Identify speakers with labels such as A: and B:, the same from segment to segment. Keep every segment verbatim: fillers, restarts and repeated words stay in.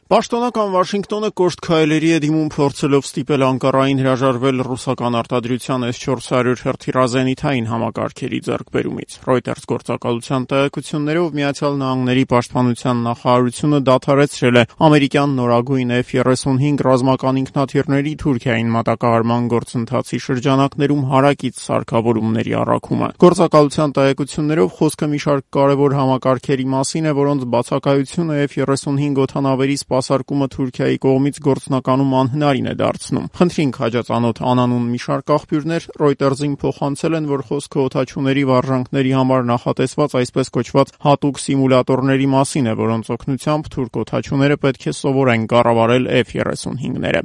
A: Պաշտոնական Վաշինգտոնը կոշտ քայլերի է դիմում փորձելով ստիպել Անկարային հրաժարվել ռուսական արտադրության էս չորս հարյուր հրթիռազենիթային համակարգերի ձեռքբերումից։ Reuters գործակալության տեղեկություններով Միացյալ Նահանգների պաշտպանության նախարարությունը դադարեցրել է ամերիկյան նորագույն F thirty-five ռազմական ինքնաթիռների Թուրքիային մատակարարման գործընթացի շրջանակներում հարակից սարքավորումների առաքումը։ Գործակալության տեղեկություններով խոսքը մի շարք կարևոր համակարգերի մասին է, որոնց բացակայությունը F thirty-five օդանավերի սպասարկումը Թուրքիայի կողմից գործնականում անհնարին է դարձնում։ Խնդրին քաջածանոթ անանուն մի շարք աղբյուրներ Reuters-ին փոխանցել են, որ խոսքը օդաչուների վարժանքների համար նախատեսված այսպես կոչված հատուկ սիմուլյատորների մասին է, որոնց օգնությամբ թուրք օդաչուները պետք է սովորեն կառավարել F thirty-five-ները։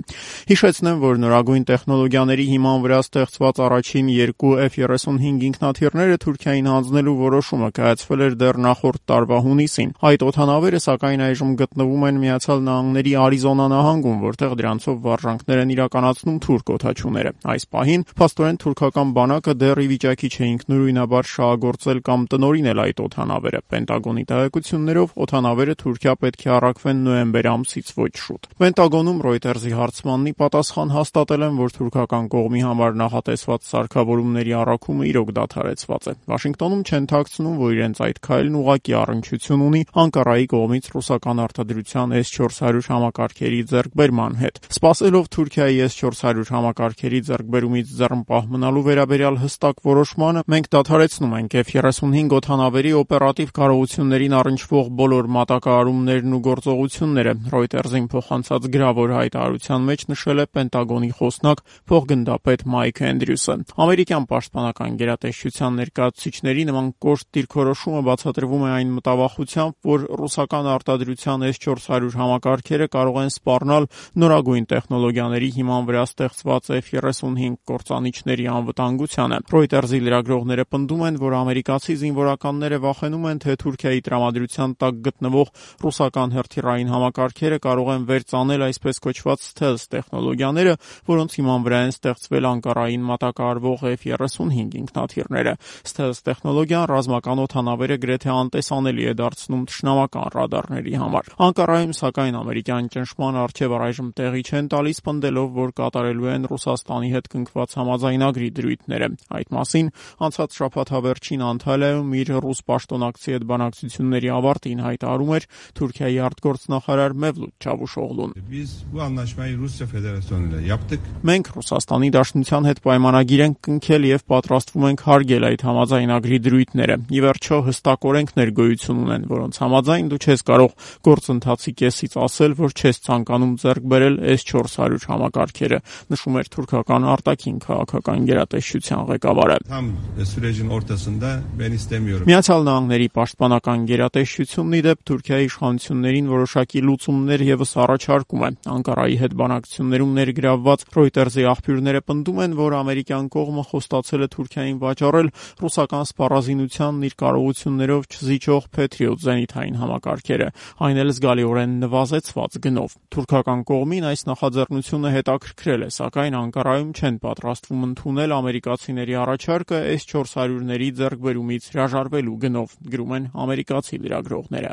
A: Հիշեցնեմ, որ նորագույն տեխնոլոգիաների հիման վրա ստեղծված առաջին երկու F thirty-five ինքնաթիռները Թուրքիային հանձնելու որոշումը կայացվել էր դեռ նախորդ տարվա հունիսին։ Այդ օդանավերը սակայն այժմ գտնվում են Միացյալ Նահանգների Արիզոնա նահանգում, որտեղ դրանցով վարժանքներ են իրականացնում թուրք օդաչուները։ Այս պահին փաստորեն թուրքական բանակը դեռ ի վիճակի չէ ինքնուրույնաբար շահագործել կամ տնօրինել այդ օդանավերը։ Պենտագոնի տեղեկություններով օդանավերը Թուրքիա պետք է առաքվեն նոյեմբեր ամսից ոչ շուտ։ Պենտագոնում Reuters-ի հարցմանն ի պատասխան հաստատել են, որ թուրքական կողմի համար նախատեսված սարքավորումների առաքումը իրոք դադարեցված է։ Վաշինգտոնում չեն թաքցնում, որ իրենց այդ քայլն ուղղակի առնչություն ունի Անկարայի կողմից ռուսական արտադրության էս չորս հարյուր համակարգերի ձեռքբերման հետ։ Սպասելով Թուրքիայի էս չորս հարյուր համակարգերի ձեռքբերումից ձեռնպահ մնալու վերաբերյալ հստակ որոշմանը, մենք դադարեցնում ենք F thirty-five օդանավերի օպերատիվ կարողություններին առնչվող բոլոր մատակարարումներն ու գործողությունները, Reuters-ին փոխանցած գրավոր հայտարարության մեջ նշել է Պենտագոնի խոսնակ փոխգնդապետ Մայք Էնդրյուսը։ Ամերիկյան պաշտպանական գերատեսչության ներկայացուցիչների նման կոշտ դիրքորոշումը բացատրվում է այն մտավախությամբ, որ ռուսական արտադրության էս չորս հարյուր համակարգերը կարող են սպառնալ նորագույն տեխնոլոգիաների հիման վրա ստեղծված F thirty-five կործանիչների անվտանգությանը։ Reuters-ի լրագրողները պնդում են, որ ամերիկացի զինվորականները վախենում են, թե Թուրքիայի տրամադրության տակ գտնվող ռուսական հրթիռային համակարգերը կարող են վերծանել այսպես կոչված stealth տեխնոլոգիաները, որոնց հիման վրա են ստեղծվել Անկարային մատակարարվող F thirty-five ինքնաթիռները։ Stealth տեխնոլոգիան ռազմական օդանավերը գրեթե անտեսանելի է դարձնում թշնամական ռադարների համար։ Անկարայում սակայն ամերիկյան ճնշման առջև առայժմ տեղի չեն տալիս, պնդելով, որ կատարելու են Ռուսաստանի հետ կնքված համաձայնագրի դրույթները։ Այդ մասին անցած շաբաթ հավերջին Անտալիայում իր ռուս պաշտոնակցի հետ բանակցությունների ավարտին հայտարարում էր Թուրքիայի արտգործնախարար Մևլութ Չավուշօղլուն։ Մենք Ռուսաստանի Դաշնության հետ պայմանագիր ենք կնքել եւ պատրաստվում ենք հարգել այդ համաձայնագրի դրույթները։ Ի վերջո հստակ օրենքներ գոյություն ունեն, որոնց համաձայն դու չես կարող գործընթացի կեսից ասել, որ չես ցանկանում ձեռք բերել էս չորս հարյուր համակարգերը, նշում էր թուրքական արտաքին քաղաքական գերատեսչության ղեկավարը։ Միացյալ Նահանգների պաշտպանական գերատեսչությունն ի դեպ Թուրքիայի իշխանություններին որոշակի լուծումներ եւս առաջարկում է։ Անկարայի հետ բանակցություններում ներգրավված Reuters-ի աղբյուրները պնդում են, որ ամերիկյան կողմը խոստացել է Թուրքիային վաճառել ռուսական սպառազինությանն իր կարողություններով չզիջող Patriot զենիթային համակարգերը, այն էլ զգալիորեն նվազեցված գնով։ Թուրքական կողմին այս նախաձեռնությունը հետաքրքրել է, սակայն Անկարայում չեն պատրաստվում ընդունել ամերիկացիների առաջարկը էս չորս հարյուրների ձեռքբերումից հրաժարվելու գնով, գրում են ամերիկացի լրագրողները։